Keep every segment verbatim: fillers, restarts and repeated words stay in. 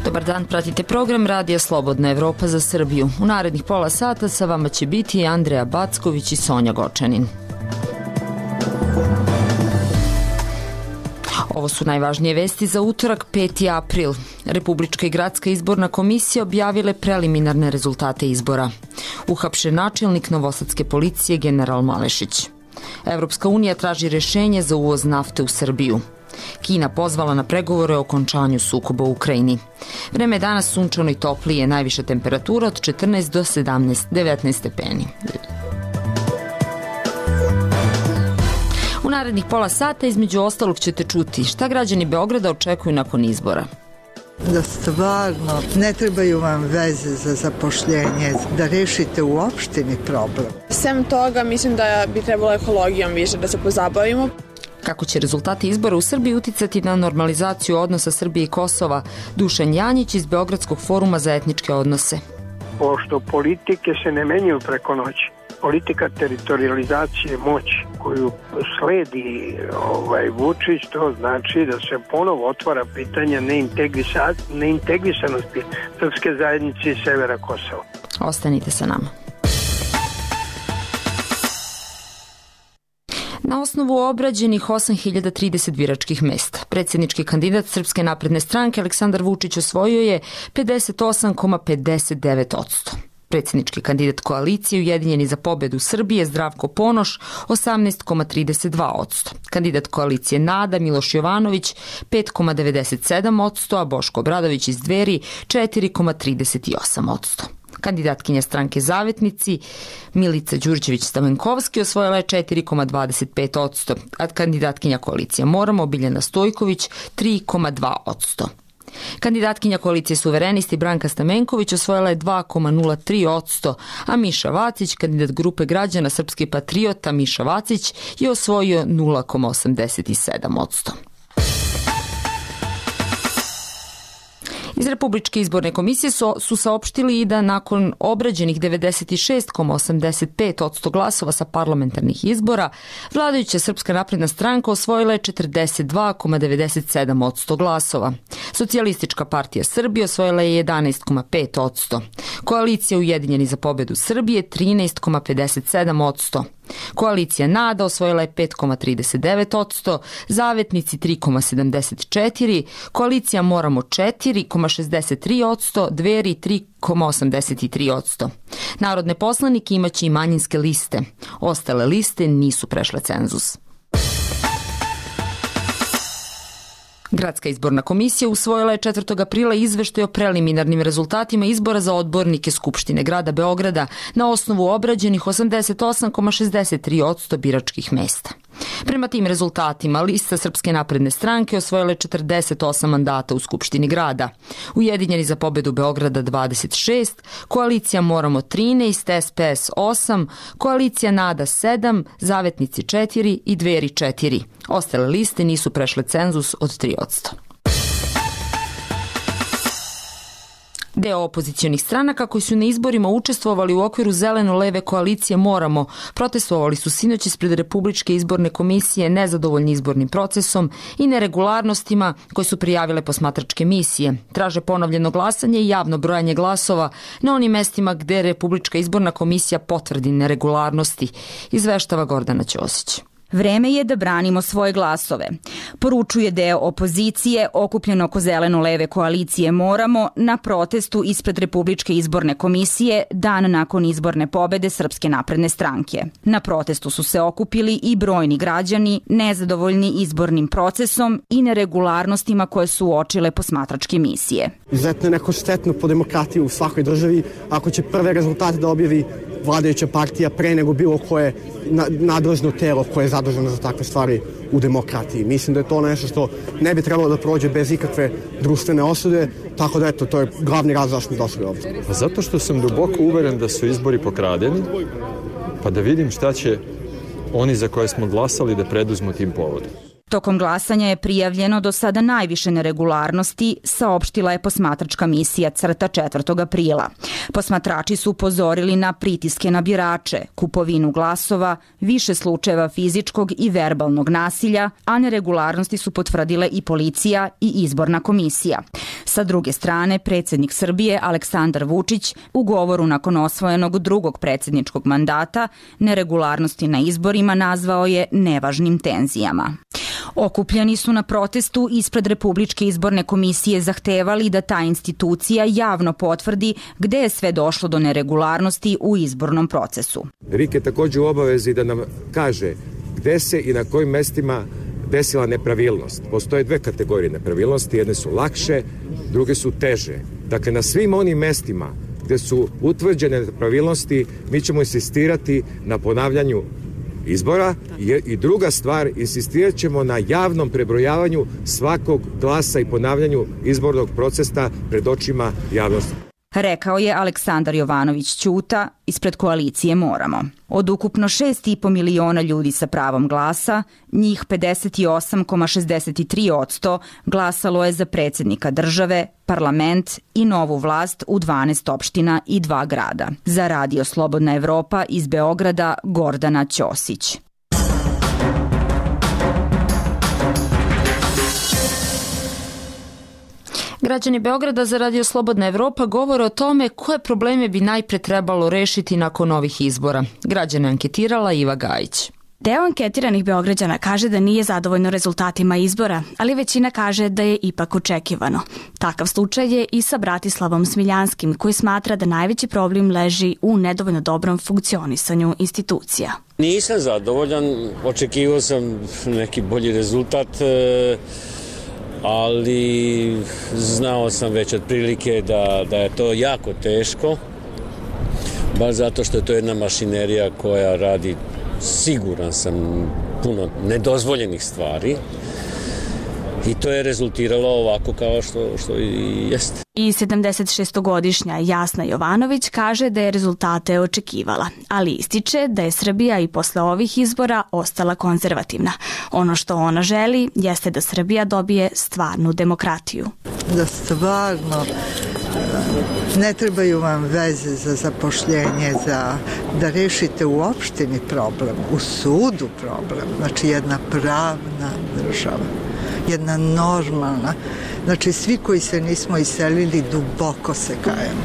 Dobar dan, pratite program Radija Slobodna Evropa za Srbiju. U narednih pola sata sa vama će biti Andreja Backović i Sonja Gočanin. Ovo su najvažnije vesti za utorak, peti april. Republička i gradska izborna komisija objavile preliminarne rezultate izbora. Uhapšen načelnik novosadske policije general Malešić. Evropska unija traži rešenje za uvoz nafte u Srbiju. Kina pozvala na pregovore o okončanju sukoba u Ukrajini. Vreme je danas sunčano i toplije, najviša temperatura od četrnaest do sedamnaest, devetnaest stepeni. U narednih pola sata između ostalog ćete čuti šta građani Beograda očekuju nakon izbora. Da stvarno ne trebaju vam veze za zapošljenje, da rešite u opštini problem. Sem toga mislim da bi trebalo ekologijom više da se pozabavimo. Kako će rezultati izbora u Srbiji uticati na normalizaciju odnosa Srbije i Kosova? Dušan Janjić iz Beogradskog foruma za etničke odnose. Pošto politike se ne menjaju preko noći, politika teritorializacije moći koju sledi ovaj, Vučić, to znači da se ponovo otvara pitanje neintegrisanosti srpske zajednice i severa Kosova. Ostanite sa nama. Na osnovu obrađenih osam hiljada trideset biračkih mesta, predsjednički kandidat Srpske napredne stranke Aleksandar Vučić osvojio je pedeset osam zarez pedeset devet posto. Predsjednički kandidat koalicije Ujedinjeni za pobedu Srbije Zdravko Ponoš osamnaest zarez trideset dva posto. Kandidat koalicije NADA Miloš Jovanović pet zarez devedeset sedam posto, a Boško Obradović iz Dveri četiri zarez trideset osam posto. Kandidatkinja stranke Zavetnici Milica Đurđević-Stamenkovski osvojila je četiri zarez dvadeset pet posto, a kandidatkinja koalicije Moramo Biljana Stojković tri zarez dva posto. Kandidatkinja koalicije Suverenisti Branka Stamenković osvojila je dva zarez nula tri posto, a Miša Vacić, kandidat grupe građana Srpski patriota Miša Vacić, je osvojio nula zarez osamdeset sedam posto. Iz Republičke izborne komisije su, su saopštili i da nakon obrađenih devedeset šest zarez osamdeset pet posto glasova sa parlamentarnih izbora, vladajuća Srpska napredna stranka osvojila je četrdeset dva zarez devedeset sedam posto glasova. Socijalistička partija Srbije osvojila je jedanaest zarez pet posto. Koalicija Ujedinjeni za pobedu Srbije trinaest zarez pedeset sedam posto. Koalicija NADA osvojila je pet zarez trideset devet posto, Zavetnici tri zarez sedamdeset četiri, Koalicija Moramo četiri zarez šezdeset tri posto, Dveri tri zarez osamdeset tri posto. Narodne poslanike imaće i manjinske liste. Ostale liste nisu prešle cenzus. Gradska izborna komisija usvojila je četvrtog aprila izveštaj o preliminarnim rezultatima izbora za odbornike Skupštine grada Beograda na osnovu obrađenih osamdeset osam zarez šezdeset tri posto biračkih mesta. Prema tim rezultatima, lista Srpske napredne stranke osvojila je četrdeset osam mandata u Skupštini grada, Ujedinjeni za pobedu Beograda dvadeset šest, Koalicija Moramo trinaest, S P S osam, Koalicija NADA sedam, Zavetnici četiri i Dveri četiri. Ostale liste nisu prešle cenzus od tri posto. Deo opozicionih stranaka koji su na izborima učestvovali u okviru zeleno-leve koalicije Moramo protestovali su sinoć ispred Republičke izborne komisije nezadovoljni izbornim procesom i neregularnostima koje su prijavile posmatračke misije. Traže ponovljeno glasanje i javno brojanje glasova na onim mestima gde Republička izborna komisija potvrdi neregularnosti, izveštava Gordana Ćosić. Vreme je da branimo svoje glasove, poručuje deo opozicije okupljen oko zeleno-leve koalicije Moramo na protestu ispred Republičke izborne komisije dan nakon izborne pobede Srpske napredne stranke. Na protestu su se okupili i brojni građani nezadovoljni izbornim procesom i neregularnostima koje su uočile posmatračke misije. Izuzetno je neko štetno po demokratiju u svakoj državi ako će prve rezultate da objavi vladajuća partija pre nego bilo koje nadležno telo koje je zaduženo za takve stvari u demokratiji. Mislim da je to nešto što ne bi trebalo da prođe bez ikakve društvene osude, tako da eto, to je glavni razlog zašto smo došli ovdje. Zato što sam duboko uveren da su izbori pokradeni, pa da vidim šta će oni za koje smo glasali da preduzmu tim povodom. Tokom glasanja je prijavljeno do sada najviše neregularnosti, saopštila je posmatračka misija CRTA četvrtog aprila. Posmatrači su upozorili na pritiske na birače, kupovinu glasova, više slučajeva fizičkog i verbalnog nasilja, a neregularnosti su potvrdile i policija i izborna komisija. Sa druge strane, predsjednik Srbije Aleksandar Vučić u govoru nakon osvojenog drugog predsjedničkog mandata neregularnosti na izborima nazvao je nevažnim tenzijama. Okupljeni su na protestu ispred Republičke izborne komisije zahtevali da ta institucija javno potvrdi gde je sve došlo do neregularnosti u izbornom procesu. R I K je također u obavezi da nam kaže gde se i na kojim mestima desila nepravilnost. Postoje dve kategorije nepravilnosti, jedne su lakše, druge su teže. Dakle, na svim onim mestima gde su utvrđene nepravilnosti, mi ćemo insistirati na ponavljanju izbora i druga stvar, insistirat ćemo na javnom prebrojavanju svakog glasa i ponavljanju izbornog procesa pred očima javnosti. Rekao je Aleksandar Jovanović Ćuta ispred koalicije Moramo. Od ukupno šest i po miliona ljudi sa pravom glasa, njih pedeset osam zarez šezdeset tri posto glasalo je za predsjednika države, parlament i novu vlast u dvanaest opština i dva grada. Za Radio Slobodna Evropa iz Beograda Gordana Ćosić. Građani Beograda za Radio Slobodna Evropa govore o tome koje probleme bi najpre trebalo rešiti nakon ovih izbora. Građane anketirala Iva Gajić. Deo anketiranih Beograđana kaže da nije zadovoljno rezultatima izbora, ali većina kaže da je ipak očekivano. Takav slučaj je i sa Bratislavom Smiljanskim, koji smatra da najveći problem leži u nedovoljno dobrom funkcionisanju institucija. Nisam zadovoljan, očekivao sam neki bolji rezultat, ali znao sam već otprilike da, da je to jako teško, baš zato što je to jedna mašinerija koja radi, siguran sam, puno nedozvoljenih stvari i to je rezultiralo ovako kao što, što i jeste. I sedamdesetšestogodišnja Jasna Jovanović kaže da je rezultate očekivala, ali ističe da je Srbija i posle ovih izbora ostala konzervativna. Ono što ona želi jeste da Srbija dobije stvarnu demokratiju. Da stvarno ne trebaju vam veze za zapošljenje, za da rešite u opštini problem, u sudu problem, znači jedna pravna država, jedna normalna. Znači, svi koji se nismo iselili duboko se kajemo.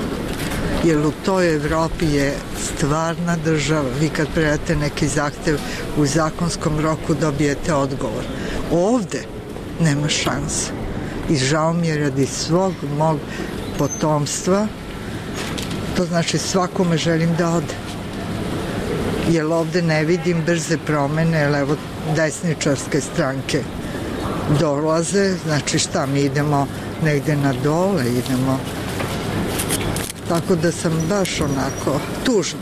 Jer u toj Evropi je stvarna država. Vi kad predate neki zahtev u zakonskom roku dobijete odgovor. Ovde nema šanse. I žao mi je radi svog mog potomstva. To znači svakome želim da ode. Jer ovde ne vidim brze promene, jer evo desničarske stranke dolaze, znači šta, mi idemo negde na dole, idemo, tako da sam baš onako tužna.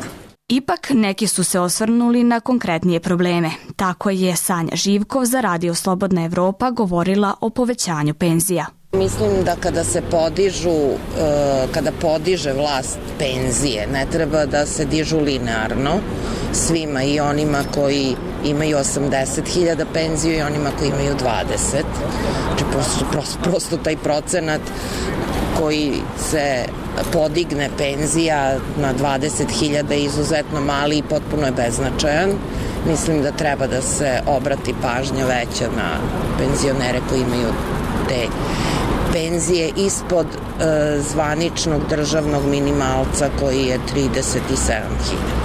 Ipak neki su se osvrnuli na konkretnije probleme. Tako je Sanja Živkov za Radio Slobodna Evropa govorila o povećanju penzija. Mislim da kada se podižu, kada podiže vlast penzije, ne treba da se dižu linearno svima, i onima koji imaju osamdeset hiljada penziju i onima koji imaju dvadeset. Znači prosto, prosto, prosto taj procenat koji se podigne penzija na dvadeset hiljada je izuzetno mali i potpuno je beznačajan. Mislim da treba da se obrati pažnja veća na penzionere koji imaju te penzije ispod e, zvaničnog državnog minimalca koji je trideset sedam hiljada.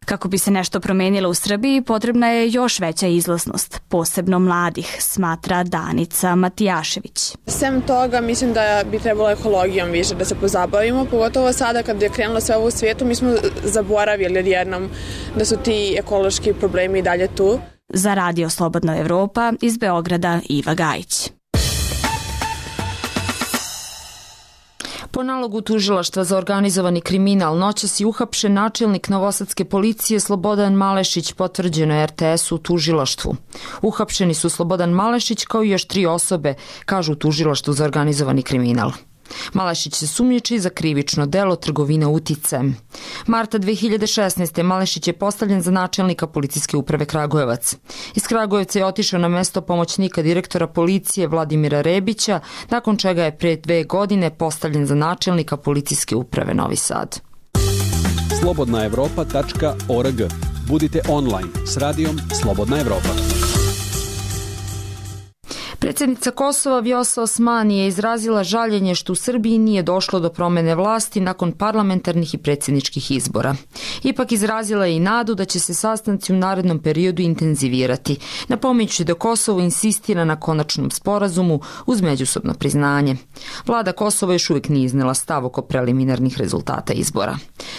Kako bi se nešto promenilo u Srbiji, potrebna je još veća izlaznost, posebno mladih, smatra Danica Matijašević. Sem toga, mislim da bi trebalo ekologijom više da se pozabavimo, pogotovo sada kad je krenulo sve ovo u svijetu, mi smo zaboravili odjednom da su ti ekološki problemi i dalje tu. Za Radio Slobodna Evropa iz Beograda Iva Gajić. Po nalogu tužilaštva za organizovani kriminal noćas je uhapšen načelnik novosadske policije Slobodan Malešić, potvrđeno je R T S u tužilaštvu. Uhapšeni su Slobodan Malešić kao i još tri osobe, kažu u tužilaštvu za organizovani kriminal. Malešić se sumnjiči za krivično delo trgovine uticajem. Marta dve hiljade šesnaeste. Malešić je postavljen za načelnika policijske uprave Kragujevac. Iz Kragujevca je otišao na mesto pomoćnika direktora policije Vladimira Rebića, nakon čega je pre dve godine postavljen za načelnika policijske uprave Novi Sad. slobodna evropa tačka org. Budite online s radijom Slobodna Evropa. Predsjednica Kosova Vjosa Osmani je izrazila žaljenje što u Srbiji nije došlo do promene vlasti nakon parlamentarnih i predsjedničkih izbora. Ipak izrazila je i nadu da će se sastanci u narednom periodu intenzivirati, napominjući da Kosovo insistira na konačnom sporazumu uz međusobno priznanje. Vlada Kosova još uvijek nije iznela stav oko preliminarnih rezultata izbora.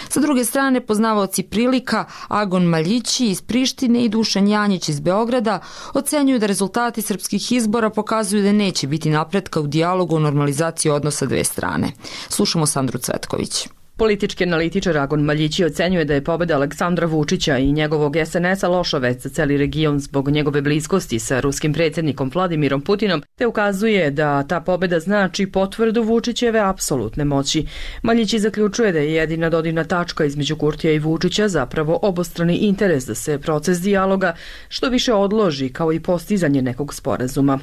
Sa druge strane, poznavaoci prilika Agon Maljići iz Prištine i Dušan Janjić iz Beograda ocenjuju da rezultati srpskih izbora pokazuju da neće biti napretka u dijalogu o normalizaciji odnosa dve strane. Slušamo Sandru Cvetković. Politički analitičar Agon Maljići ocenjuje da je pobjeda Aleksandra Vučića i njegovog es en es a loša vest za celi region zbog njegove bliskosti sa ruskim predsjednikom Vladimirom Putinom, te ukazuje da ta pobjeda znači potvrdu Vučićeve apsolutne moći. Maljići zaključuje da je jedina dodirna tačka između Kurtija i Vučića zapravo obostrani interes da se proces dijaloga što više odloži, kao i postizanje nekog sporazuma.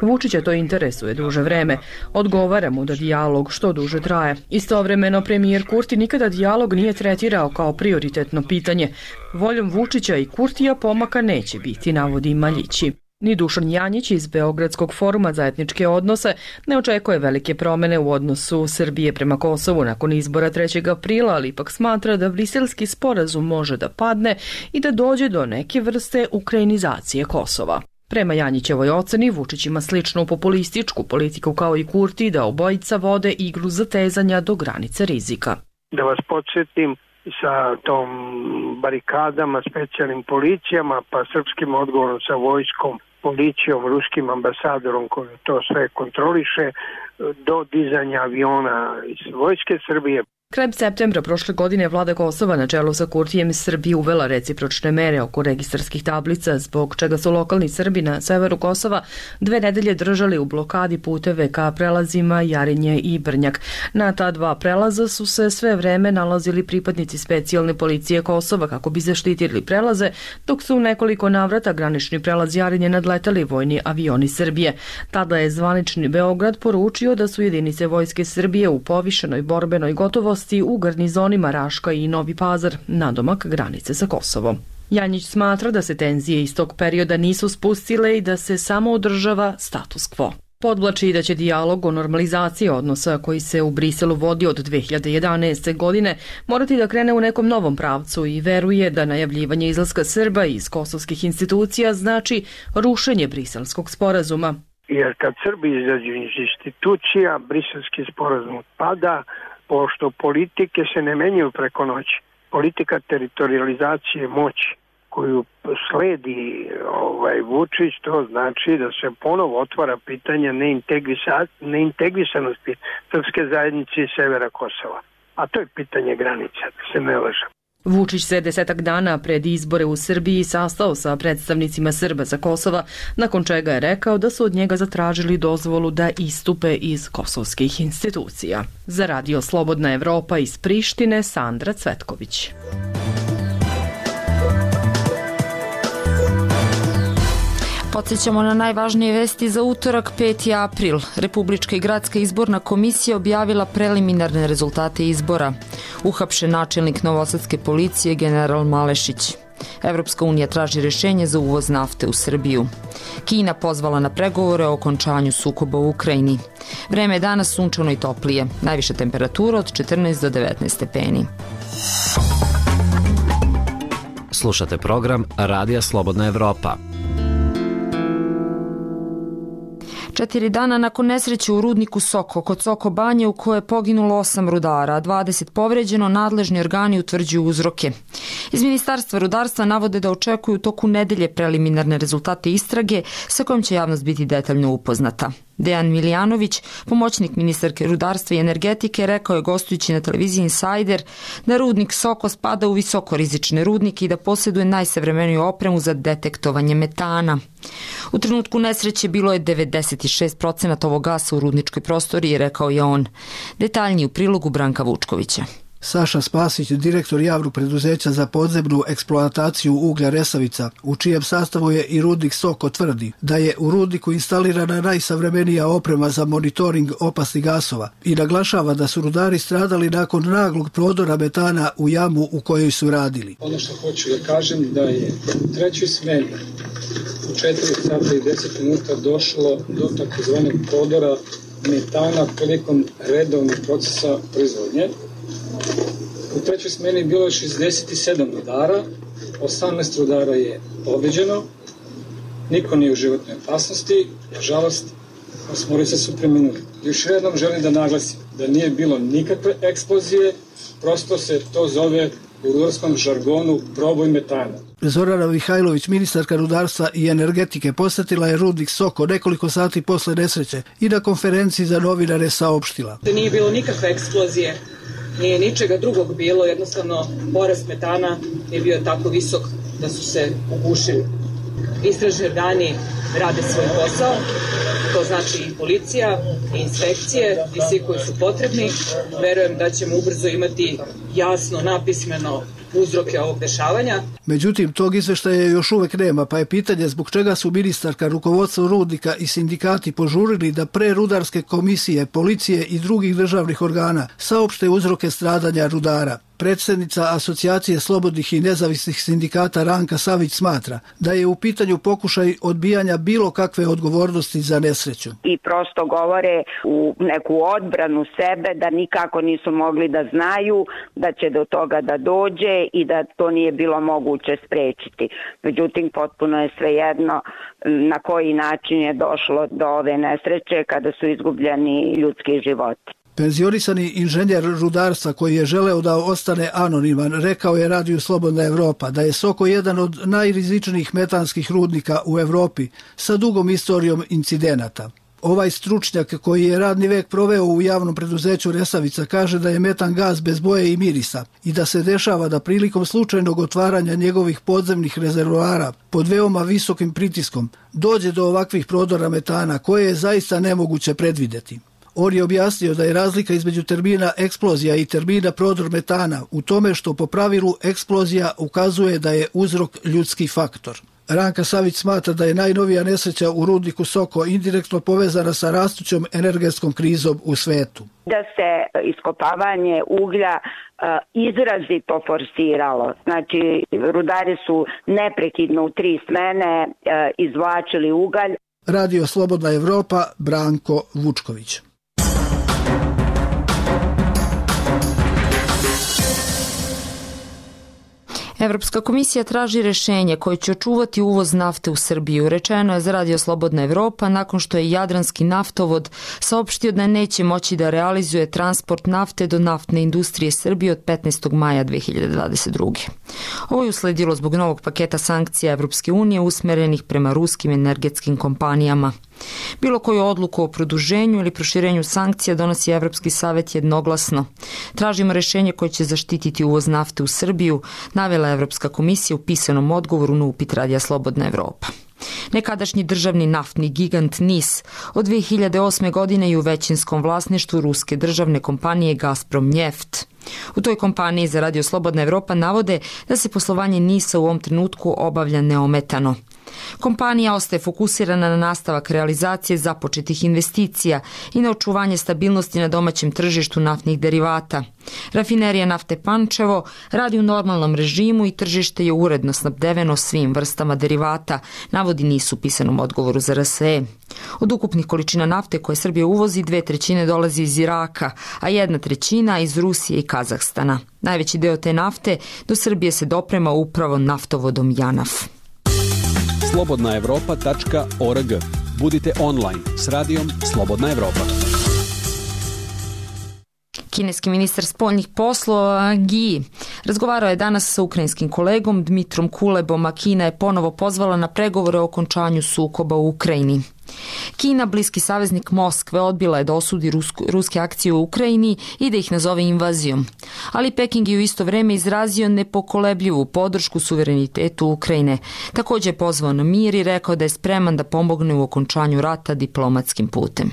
Vučića to interesuje duže vreme. Odgovara mu da dijalog što duže traje. Istovremeno premijer Kurti nikada dijalog nije tretirao kao prioritetno pitanje. Voljom Vučića i Kurtija pomaka neće biti, navodi Maljići. Ni Dušan Janjić iz Beogradskog foruma za etničke odnose ne očekuje velike promene u odnosu Srbije prema Kosovu nakon izbora trećeg aprila, ali ipak smatra da briselski sporazum može da padne i da dođe do neke vrste ukrajinizacije Kosova. Prema Janjićevoj oceni, Vučić ima sličnu populističku politiku kao i Kurti da obojica vode igru zatezanja do granice rizika. Da vas podsjetim, sa tom barikadama, specijalnim policijama, pa srpskim odgovorom sa vojskom, policijom, ruskim ambasadorom koji to sve kontroliše, do dizanja aviona iz vojske Srbije. Krajem septembra prošle godine vlada Kosova na čelu sa Kurtijem Srbiji uvela recipročne mere oko registarskih tablica, zbog čega su lokalni Srbi na severu Kosova dve nedelje držali u blokadi puteve ka prelazima Jarinje i Brnjak. Na ta dva prelaza su se sve vreme nalazili pripadnici specijalne policije Kosova kako bi zaštitili prelaze, dok su u nekoliko navrata granični prelaz Jarinje nadletali vojni avioni Srbije. Tada je zvanični Beograd poručio da su jedinice vojske Srbije u povišenoj borbenoj gotovosti u garnizonima Raška i Novi Pazar, nadomak granice sa Kosovom. Janjić smatra da se tenzije iz tog perioda nisu spustile i da se samo održava status quo. Podvlači da će dijalog o normalizaciji odnosa koji se u Briselu vodi od dve hiljade jedanaeste. godine morati da krene u nekom novom pravcu i veruje da najavljivanje izlaska Srba iz kosovskih institucija znači rušenje briselskog sporazuma. Jer kad Srbi izađu iz institucija, briselski sporazum pada, pošto politike se ne menjaju preko noći. Politika teritorializacije moći koju sledi ovaj, Vučić, to znači da se ponovo otvara pitanje neintegrisanosti srpske zajednice i severa Kosova. A to je pitanje granica, da se ne lažem. Vučić se desetak dana pred izbore u Srbiji sastao sa predstavnicima Srba sa Kosova, nakon čega je rekao da su od njega zatražili dozvolu da istupe iz kosovskih institucija. Za Radio Slobodna Evropa iz Prištine, Sandra Cvetković. Podsjećamo na najvažnije vesti za utorak peti april. Republička i gradska izborna komisija objavila preliminarne rezultate izbora. Uhapšen načelnik novosadske policije general Malešić. Evropska unija traži rješenje za uvoz nafte u Srbiju. Kina pozvala na pregovore o okončanju sukoba u Ukrajini. Vreme je danas sunčano i toplije. Najviša temperatura od četrnaest do devetnaest stepeni. Slušate program Radija Slobodna Evropa. Četiri dana nakon nesreće u rudniku Soko kod Soko Banje u kojoj je poginulo osam rudara, a dvadeset povređeno, nadležni organi utvrđuju uzroke. Iz Ministarstva rudarstva navode da očekuju toku nedelje preliminarne rezultate istrage sa kojom će javnost biti detaljno upoznata. Dejan Milijanović, pomoćnik ministarke rudarstva i energetike, rekao je gostujući na televiziji Insider da rudnik Soko spada u visokorizične rudnike i da posjeduje najsavremeniju opremu za detektovanje metana. U trenutku nesreće bilo je devedeset šest procenata ovog gasa u rudničkoj prostoriji, rekao je on. Detaljniji u prilogu Branka Vučkovića. Saša Spasić, direktor javnog preduzeća za podzemnu eksploataciju uglja Resavica, u čijem sastavu je i rudnik Soko, tvrdi da je u rudniku instalirana najsavremenija oprema za monitoring opasnih gasova i naglašava da su rudari stradali nakon naglog prodora metana u jamu u kojoj su radili. Ono što hoću da kažem da je u trećoj smeni u četiri sata i deset minuta došlo do takozvanog prodora metana prilikom redovnog procesa proizvodnje. U trećoj smeni je bilo šezdeset sedam rudara, osamnaest rudara je povređeno, niko nije u životnoj opasnosti, nažalost, osmorica su preminuli. Još jednom želim da naglasim da nije bilo nikakve eksplozije, prosto se to zove u rudarskom žargonu proboj metana. Zorana Mihajlović, ministarka rudarstva i energetike, posjetila je rudnik Soko nekoliko sati posle nesreće i na konferenciji za novinare saopštila. Nije bilo nikakve eksplozije, nije ničega drugog bilo, jednostavno porast metana je bio tako visok da su se ugušili. Istražni organi rade svoj posao, to znači i policija, i inspekcije, i svi koji su potrebni. Verujem da ćemo ubrzo imati jasno, napismeno uzroke ovog dešavanja. Međutim, tog izveštaja još uvek nema, pa je pitanje zbog čega su ministarka, rukovodstvo rudnika i sindikati požurili da pre rudarske komisije, policije i drugih državnih organa saopšte uzroke stradanja rudara. Predsjednica Asocijacije slobodnih i nezavisnih sindikata Ranka Savić smatra da je u pitanju pokušaj odbijanja bilo kakve odgovornosti za nesreću. I prosto govore u neku odbranu sebe da nikako nisu mogli da znaju da će do toga da dođe i da to nije bilo moguće sprečiti. Međutim, potpuno je svejedno na koji način je došlo do ove nesreće kada su izgubljeni ljudski životi. Penzionisani inženjer rudarstva koji je želeo da ostane anoniman rekao je Radiju Slobodna Evropa da je Soko jedan od najrizičnijih metanskih rudnika u Evropi sa dugom istorijom incidenata. Ovaj stručnjak koji je radni vek proveo u javnom preduzeću Resavica kaže da je metan gas bez boje i mirisa i da se dešava da prilikom slučajnog otvaranja njegovih podzemnih rezervoara pod veoma visokim pritiskom dođe do ovakvih prodora metana koje je zaista nemoguće predvideti. On je objasnio da je razlika između termina eksplozija i termina prodor metana u tome što po pravilu eksplozija ukazuje da je uzrok ljudski faktor. Ranka Savić smatra da je najnovija nesreća u rudniku Soko indirektno povezana sa rastućom energetskom krizom u svetu. Da se iskopavanje uglja izrazito forsiralo. Znači, rudari su neprekidno u tri smene izvlačili ugalj. Radio Slobodna Evropa, Branko Vučković. Evropska komisija traži rešenje koje će očuvati uvoz nafte u Srbiju. Rečeno je za Radio Slobodna Evropa nakon što je Jadranski naftovod saopštio da neće moći da realizuje transport nafte do naftne industrije Srbije od petnaestog maja dve hiljade dvadeset druge. Ovo je usledilo zbog novog paketa sankcija Evropske unije usmerenih prema ruskim energetskim kompanijama. Bilo koju odluku o produženju ili proširenju sankcija donosi Evropski savet jednoglasno. Tražimo rešenje koje će zaštititi uvoz nafte u Srbiju, navela Evropska komisija u pisanom odgovoru na upit Radija Slobodna Evropa. Nekadašnji državni naftni gigant N I S od dve hiljade osme. godine je u većinskom vlasništvu ruske državne kompanije Gazprom Njeft. U toj kompaniji za Radio Slobodna Evropa navode da se poslovanje N I S-a u ovom trenutku obavlja neometano. Kompanija ostaje fokusirana na nastavak realizacije započetih investicija i na očuvanje stabilnosti na domaćem tržištu naftnih derivata. Rafinerija nafte Pančevo radi u normalnom režimu i tržište je uredno snabdeveno svim vrstama derivata, navodi N I S u pisanom odgovoru za R S E. Od ukupnih količina nafte koje Srbija uvozi, dve trećine dolazi iz Iraka, a jedna trećina iz Rusije i Kazahstana. Najveći deo te nafte do Srbije se doprema upravo naftovodom Janaf. slobodna evropa tačka org. Budite online s radijom Slobodna Evropa. Kineski ministar spoljnih poslova Gi razgovarao je danas sa ukrajinskim kolegom Dmitrom Kulebom, a Kina je ponovo pozvala na pregovore o okončanju sukoba u Ukrajini. Kina, bliski saveznik Moskve, odbila je da osudi rusku, ruske akcije u Ukrajini i da ih nazove invazijom. Ali Peking je u isto vreme izrazio nepokolebljivu podršku suverenitetu Ukrajine. Također je pozvao na mir i rekao da je spreman da pomogne u okončanju rata diplomatskim putem.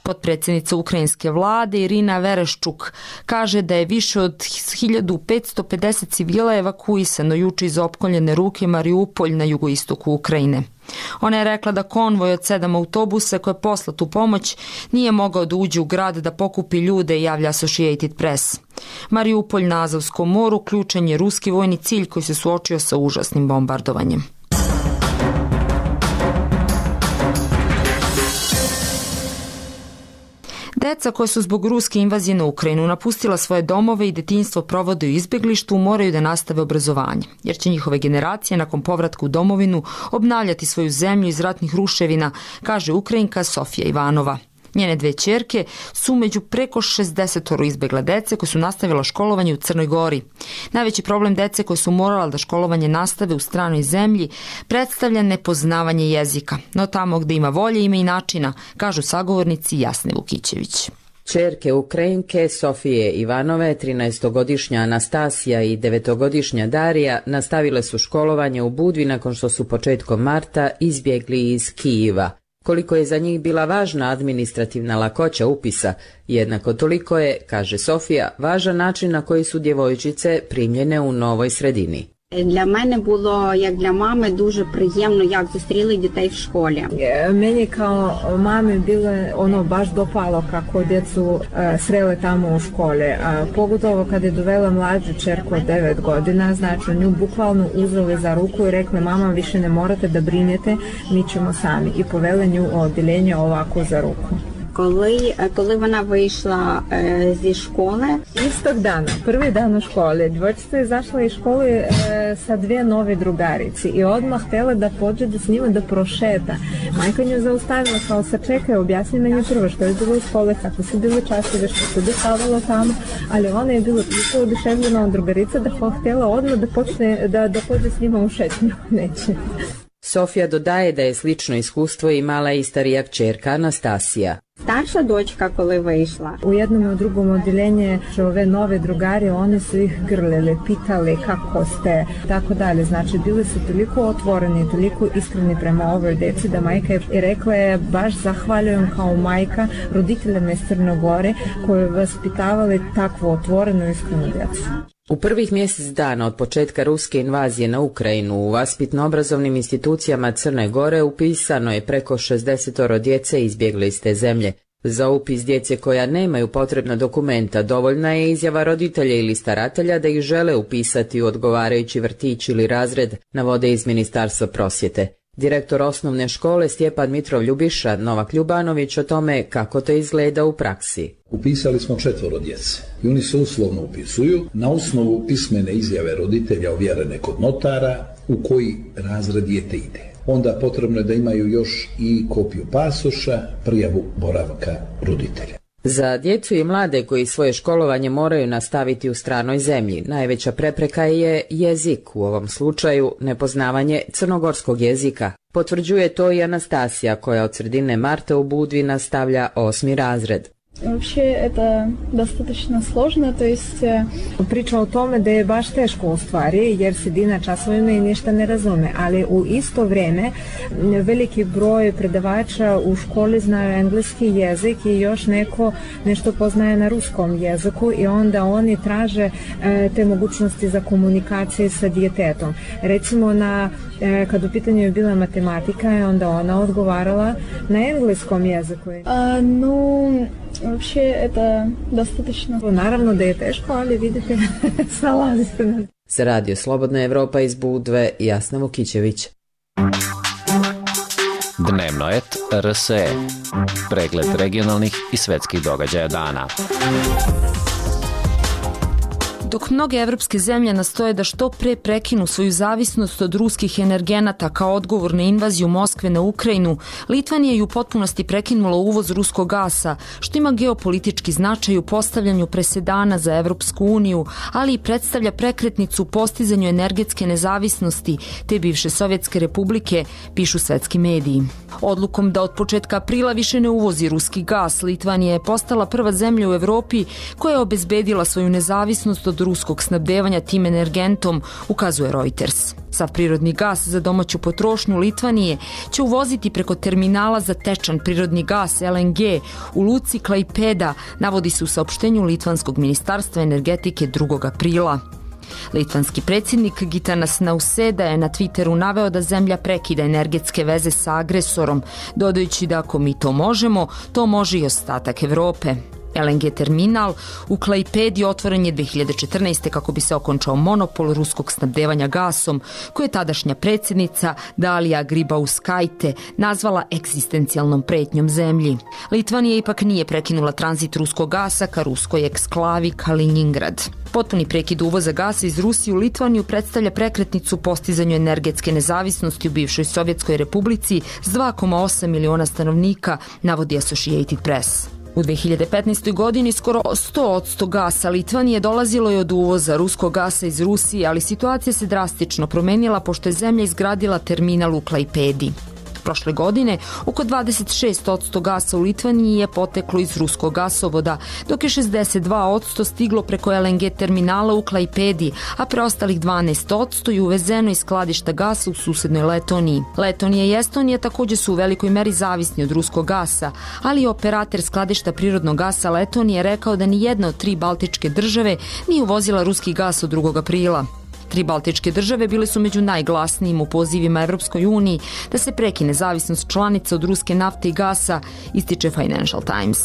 Potpredsjednica ukrajinske vlade Irina Vereščuk kaže da je više od hiljadu petsto pedeset civila evakuisano juče iz opkoljene ruke Mariupolj na jugoistoku Ukrajine. Ona je rekla da konvoj od sedam autobusa koji je poslat u pomoć nije mogao da uđe u grad da pokupi ljude, javlja Associated Press. Mariupolj na Azovskom moru ključan je ruski vojni cilj koji se suočio sa užasnim bombardovanjem. Deca koja su zbog ruske invazije na Ukrajinu napustila svoje domove i detinjstvo provode u izbjeglištu moraju da nastave obrazovanje, jer će njihove generacije nakon povratka u domovinu obnavljati svoju zemlju iz ratnih ruševina, kaže Ukrajinka Sofija Ivanova. Njene dve ćerke su među preko šezdeset izbjegla dece koje su nastavila školovanje u Crnoj Gori. Najveći problem dece koje su morala da školovanje nastave u stranoj zemlji predstavlja nepoznavanje jezika. No tamo gde ima volje ima i načina, kažu sagovornici Jasne Vukićević. Ćerke Ukrajinke Sofije Ivanove, trinaestogodišnja Anastasija i devetogodišnja Darija nastavile su školovanje u Budvi nakon što su početkom marta izbjegli iz Kijeva. Koliko je za njih bila važna administrativna lakoća upisa, jednako toliko je, kaže Sofija, važan način na koji su djevojčice primljene u novoj sredini. Для мене було, як для мами, дуже приємно, як зустріли дітей в школі. Meni kao mami bilo ono baš dopalo kako djecu srele tamo u škole. Pogotovo kad je dovela mlađu čerku od devet godina, znači nju bukvalno uzeli za ruku i rekli mama više ne morate da brinete, mi ćemo sami. I povele nju u odjeljenje ovako za ruku. Коли, коли вона вийшла е, зі школи. Istog dana, prvi dan u školi, djevojčica je izašla iz škole e, sa dvije nove drugarici i odmah htjela da pođe da s njima da prošeta. Majka nju zaustavila, kao se čekaj, objasni meni prvo što je bilo u škole, kako su bile časove, što se dešavalo tamo, ali ona je bila toliko oduševljena od drugarica da htjela odmah da počne da, da pođe s njima u šetnju. Neće. Sofija dodaje da je slično iskustvo imala i starija kćerka Anastasija. Старша дочка, коли вийшла. U jednom i u drugom odjeljenje ove nove drugari, oni su ih grlili, pitali kako ste, tako dalje. Znači, bili su toliko otvoreni, toliko iskreni prema ovoj deci da majka je rekla je baš zahvaljujem kao majka roditeljima iz Crne Gore koji vaspitavali takvu otvorenu iskrenu djecu. U prvih mjesec dana od početka ruske invazije na Ukrajinu u vaspitno-obrazovnim institucijama Crne Gore upisano je preko šezdeset djece izbjegle iz te zemlje. Za upis djece koja nemaju potrebna dokumenta dovoljna je izjava roditelja ili staratelja da ih žele upisati u odgovarajući vrtić ili razred, navode iz Ministarstva prosvjete. Direktor osnovne škole Stjepan Mitrov Ljubiša Novak Ljubanović o tome kako to izgleda u praksi. Upisali smo četvoro djece i oni se uslovno upisuju na osnovu pismene izjave roditelja ovjerene kod notara u koji razred dijete ide. Onda potrebno je da imaju još i kopiju pasoša, prijavu boravka roditelja. Za djecu i mlade koji svoje školovanje moraju nastaviti u stranoj zemlji, najveća prepreka je jezik, u ovom slučaju nepoznavanje crnogorskog jezika. Potvrđuje to i Anastasija koja od sredine marta u Budvi nastavlja osmi razred. Вообще это достаточно сложно, то есть priča o tome da je baš teško u stvari jer sedi na časovima i ništa ne razume, ali u isto vrijeme veliki broj predavača u školi znaju engleski jezik i još neko nešto poznaje na ruskom jeziku i onda oni traže te mogućnosti za komunikacije sa djetetom. Recimo na, kad u pitanju je bila matematika, onda ona odgovarala na engleskom jeziku. A, no, Вообще это достаточно. Naravno da je teško, ali vidite, snalazite nas. Za Radio Slobodna Evropa iz Budve, Jasna Vukićević. Dnevno et R S E. Pregled regionalnih i svetskih događaja dana. Dok mnoge evropske zemlje nastoje da što pre prekinu svoju zavisnost od ruskih energenata kao odgovor na invaziju Moskve na Ukrajinu, Litvanija je u potpunosti prekinula uvoz ruskog gasa, što ima geopolitički značaj u postavljanju presedana za Evropsku uniju, ali i predstavlja prekretnicu u postizanju energetske nezavisnosti te bivše Sovjetske republike, pišu svetski mediji. Odlukom da od početka aprila više ne uvozi ruski gas, Litvanija je postala prva zemlja u Evropi koja je obezbedila svoju nezavisnost od ruskog snabdevanja tim energentom, ukazuje Reuters. Sav prirodni gas za domaću potrošnju Litvanije će uvoziti preko terminala za tečan prirodni gas L N G u luci Klaipeda, navodi se u saopštenju Litvanskog ministarstva energetike drugog aprila. Litvanski predsjednik Gitanas Nauseda je na Twitteru naveo da zemlja prekida energetske veze sa agresorom, dodajući da ako mi to možemo, to može i ostatak Evrope. L N G terminal u Klaipedi otvoren je dve hiljade četrnaeste. kako bi se okončao monopol ruskog snabdevanja gasom, koje je tadašnja predsjednica Dalija Gribauskaite nazvala egzistencijalnom pretnjom zemlji. Litvanija ipak nije prekinula tranzit ruskog gasa ka ruskoj eksklavi Kaliningrad. Potpuni prekid uvoza gasa iz Rusije u Litvaniju predstavlja prekretnicu u postizanju energetske nezavisnosti u bivšoj Sovjetskoj republici s dva zarez osam miliona stanovnika, navodi Associated Press. U dve hiljade petnaestoj. godini skoro sto posto gasa Litvanije dolazilo je od uvoza ruskog gasa iz Rusije, ali situacija se drastično promenila pošto je zemlja izgradila terminal u Klaipedi. Prošle godine oko dvadeset šest posto gasa u Litvaniji je poteklo iz ruskog gasovoda, dok je šezdeset dva posto stiglo preko L N G terminala u Klaipedi, a preostalih dvanaest posto je uvezeno iz skladišta gasa u susednoj Letoniji. Letonija i Estonija takođe su u velikoj meri zavisni od ruskog gasa, ali operator skladišta prirodnog gasa Letonije rekao da ni jedna od tri baltičke države nije uvozila ruski gas od drugog aprila. Tri baltičke države bile su među najglasnijim u pozivima Evropskoj uniji da se prekine zavisnost članica od ruske nafte i gasa, ističe Financial Times.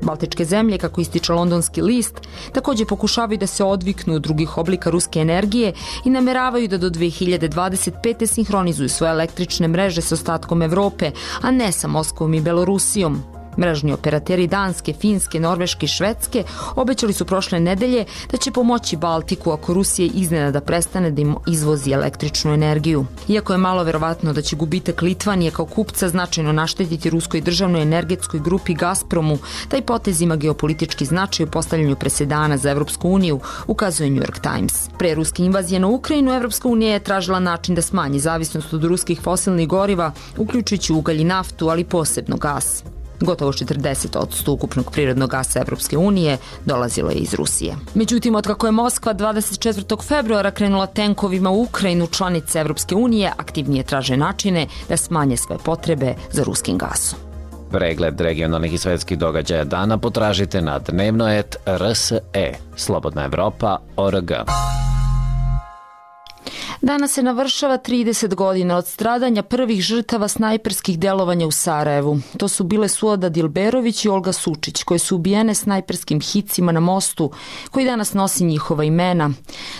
Baltičke zemlje, kako ističe londonski list, takođe pokušavaju da se odviknu od drugih oblika ruske energije i nameravaju da do dve hiljade dvadeset pete. sinhronizuju svoje električne mreže sa ostatkom Evrope, a ne sa Moskvom i Belorusijom. Mrežni operateri Danske, Finske, Norveške i Švedske obećali su prošle nedelje da će pomoći Baltiku ako Rusija iznenada prestane da im izvozi električnu energiju. Iako je malo verovatno da će gubitak Litvanije kao kupca značajno naštetiti ruskoj državnoj energetskoj grupi Gazpromu, taj potez ima geopolitički značaj u postavljanju presedana za Evropsku uniju, ukazuje New York Times. Pre ruske invazije na Ukrajinu, Evropska unija je tražila način da smanji zavisnost od ruskih fosilnih goriva, uključujući ugalj i naftu, ali posebno gas. Gotovo četrdeset posto ukupnog prirodnog gasa Evropske unije dolazilo je iz Rusije. Međutim, otkako je Moskva dvadeset četvrtog februara krenula tenkovima u Ukrajinu, članice Evropske unije aktivnije traže načine da smanje svoje potrebe za ruskim gasom. Pregled regionalnih i svetskih događaja dana potražite na dnevnoet R S E, Slobodna Evropa, O R G. Danas se navršava trideset godina od stradanja prvih žrtava snajperskih delovanja u Sarajevu. To su bile Suada Dilberović i Olga Sučić, koje su ubijene snajperskim hicima na mostu, koji danas nosi njihova imena.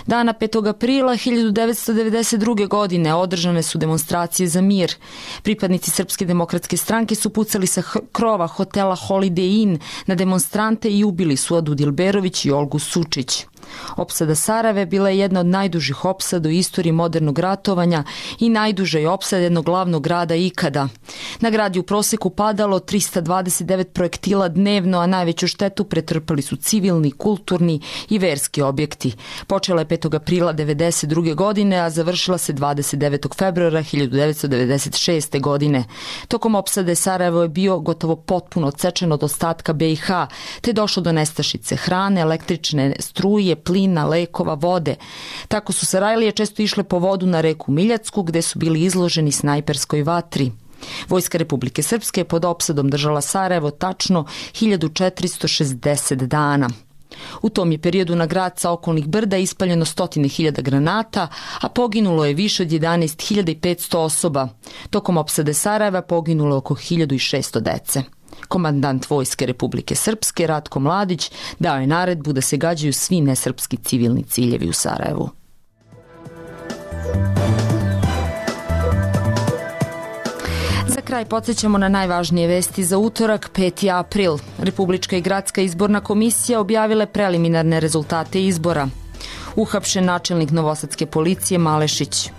Dana petog aprila hiljadu devetsto devedeset druge. godine održane su demonstracije za mir. Pripadnici Srpske demokratske stranke su pucali sa krova hotela Holiday Inn na demonstrante i ubili Suadu Dilberović i Olgu Sučić. Opsada Sarajeva bila je jedna od najdužih opsada u istoriji modernog ratovanja i najduža je opsada jednog glavnog grada ikada. Na grad je u proseku padalo trista dvadeset devet projektila dnevno, a najveću štetu pretrpali su civilni, kulturni i verski objekti. Počela je petog aprila devedeset druge. godine, a završila se dvadeset devetog februara hiljadu devetsto devedeset šeste. godine. Tokom opsade Sarajevo je bio gotovo potpuno odsečen od ostatka B i H, te došlo do nestašice hrane, električne struje, plina, lekova, vode. Tako su Sarajlije često išle po vodu na reku Miljacku, gde su bili izloženi snajperskoj vatri. Vojska Republike Srpske je pod opsadom držala Sarajevo tačno hiljadu četiristo šezdeset dana. U tom je periodu na grad sa okolnih brda ispaljeno stotine hiljada granata, a poginulo je više od jedanaest hiljada petsto osoba. Tokom opsade Sarajeva poginulo oko hiljadu šesto dece. Komandant Vojske Republike Srpske Ratko Mladić dao je naredbu da se gađaju svi nesrpski civilni ciljevi u Sarajevu. Za kraj podsjećamo na najvažnije vesti za utorak, peti april. Republička i gradska izborna komisija objavile preliminarne rezultate izbora. Uhapšen načelnik novosadske policije Malešić.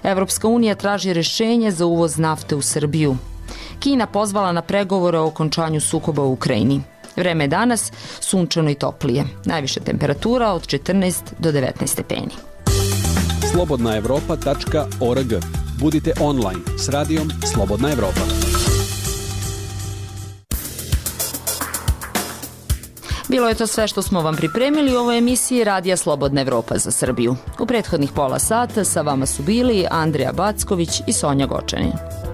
Evropska unija traži rešenje za uvoz nafte u Srbiju. Kina pozvala na pregovore o okončanju sukoba u Ukrajini. Vreme je danas sunčano i toplije. Najviša temperatura od četrnaest do devetnaest stepeni. slobodna evropa tačka org. Budite online s radijom Slobodna Evropa. Bilo je to sve što smo vam pripremili u ovoj emisiji Radija Slobodna Evropa za Srbiju. U prethodnih pola sata sa vama su bili Andrija Backović i Sonja Gočanin.